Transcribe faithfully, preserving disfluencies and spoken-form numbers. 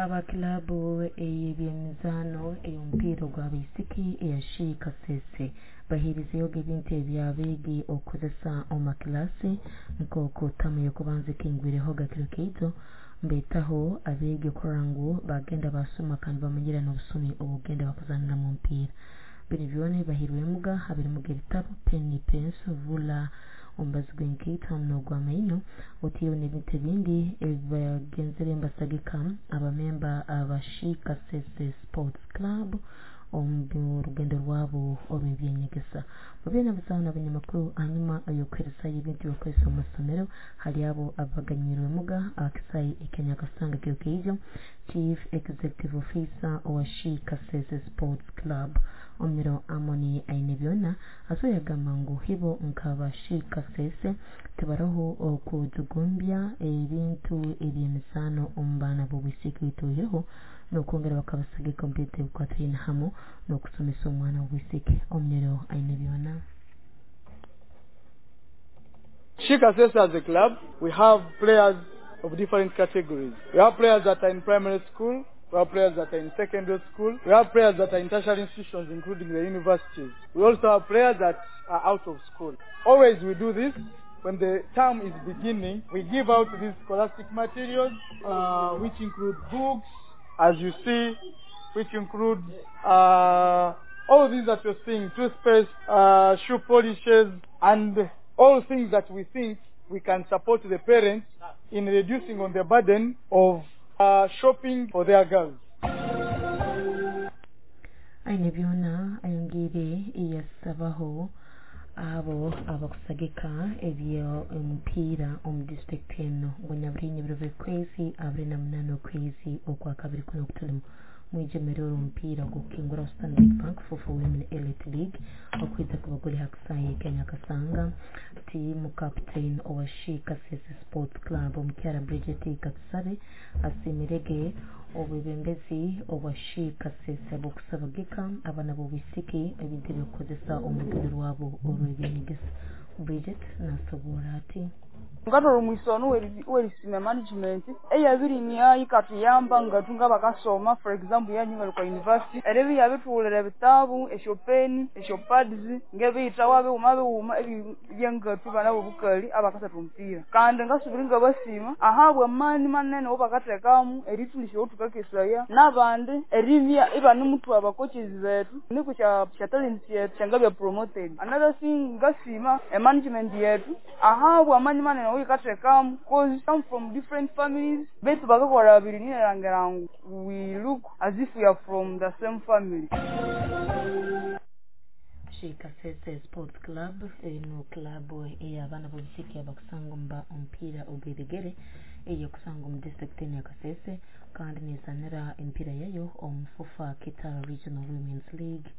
Aba kilabu ey'ebyemizaano ey'omupiira ogw'abaisiki eya She Kasese baheerizeyoga ebintu eby'abeegi okukozesa omu makilaasi nk'oku taamu y'okubanza ekingwirehoga kiro kyaito mbeetaho abeegi okurora ngu bagenda basoma kandi bamanyira n'obusumi obukugenda bakuzaaniramu omupiira. Binu byona ebibahairwemuga habirimuga ebitabu, peni, penso, ruler, omubazi gw'enkaito hamu n'ogw'amaino otiireho n'ebintu ebindi ebibagenzere mbasagika abamemba aba She Kasese Sports Club omu rugendo rwabo orw'ebyenyegesa. Babaire nabazaaho n'abanyamakuru hanyuma y'okuheerezayo ebintu ebyokukozesa omu masomero hali abo abaganyirwemuga aha kisaayi ekya Nyakasanga kiro kyaija Chief Executive Officer owa She Kasese Sports Club Omiro Amoni Ainebyona asoboire yagamba ngu hibo nk'aba She Kasese tibaroho okujugumbya ebintu eby'emizaano omu baana b'obwisiki baitu oihireho n'okwongera bakabasagika omu bintu ebikwatiraine hamu n'okusomesa omwana w'obwisiki. Omiro Ainebyona. She Kasese as a club, we have players of different categories. We have players that are in primary school, we have players that are in secondary school, we have players that are in tertiary institutions, including the universities. We also have players that are out of school. Always we do this when the term is beginning. We give out these scholastic materials, uh, which include books, as you see, which include uh, all these that you're seeing, toothpaste, uh, shoe polishes, and all things that we think we can support the parents in reducing on the burden of uh, shopping for their girls. Ainebyona ayongiire yasabaho abo abakusagika eby'omupiira omu disitulikiti eno ngu nyaburinye ebiro by'okwezi abiri na munaana okwezi okwakabiri kuno okutulimu mwijemerero omupiira ogw'okukingura Stanbic Bank FUFA Women Elite League okwija kuba guli ha kisaayi ekya Nyakasanga. Team captain owa She Kasese Sports Club omukyara Bridget Katusabe asiimirege obwebembezi obwa She Kasese bw'okusabagika abaana b'obwisiki ebintu ebyokukozesa omu rugendo rwabo orw'ebyenyegesa. Bridget nasoboora ati ngatwala omwisono werisima management eyabirimya ikatuyamba ngatu ngabakasoma for example yanyu ngali kwa university erebi yabithughulira ebitabu esyopeni esyopads ngebiyithawa bighuma bighuma ebyangatu bana bobukali abakasatha omupira kandi ngasubira ngabasima ahabwa amani manene awabakathekamu erithulisya owothukakesaya nabandi eribya ibanemuthuha abacoaches bethu nuku sya talents yethu syangabya promoted another thing ngasima emanagement yethu ahabwa amani manene awayikathekamu cause come from different families bethu bakakolha babiri ninerangira ngu we look as if we are from the same family. She Kasese Sports Club eno club ey'abaana b'obwisiki abakusanga omu omupiira ogw'ebigere ey'okusanga omu disitulikiti eno ya Kasese kandi neezaanira emipiira yayo omu FUFA Kitara Regional Women's League.